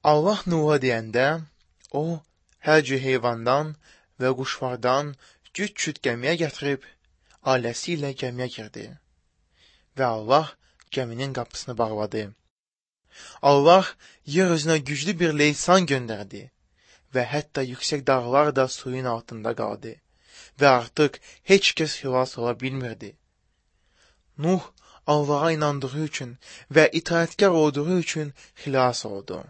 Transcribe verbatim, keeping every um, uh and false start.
Allah Nuh'a deyəndə, o, hər cür heyvandan və quşlardan cüt-cüt gəmiyə gətirib, ailəsi ilə gəmiyə girdi və Allah gəminin qapısını bağladı. Allah yer üzünə güclü bir leysan göndərdi və hətta yüksək dağlar da suyun altında qaldı və artıq heç kəs xilas ola bilmirdi. Nuh Allaha inandığı üçün və itaətkar olduğu üçün xilas oldu.